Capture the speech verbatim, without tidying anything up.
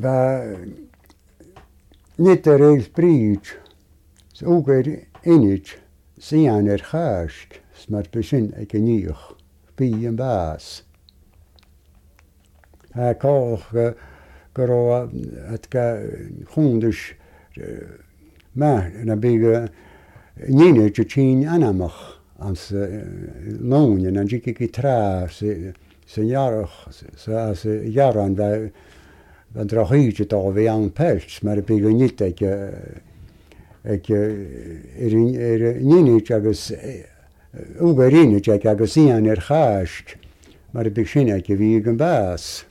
va niet er eens bridge. Ook er inich. Sian er haast. Maar begin ik niet. Bij een baas. Hij kocht gero het ka honders maar dan ben je niet te zien aanamach als loon en dan zie ik het tra ze ze jarig ze ze jaren wij dan draag je het alweer aan pers maar dan ben je niet dat je ik er er niet agus ook er niet dat ik zien er haast maar dan begin ik wie een baas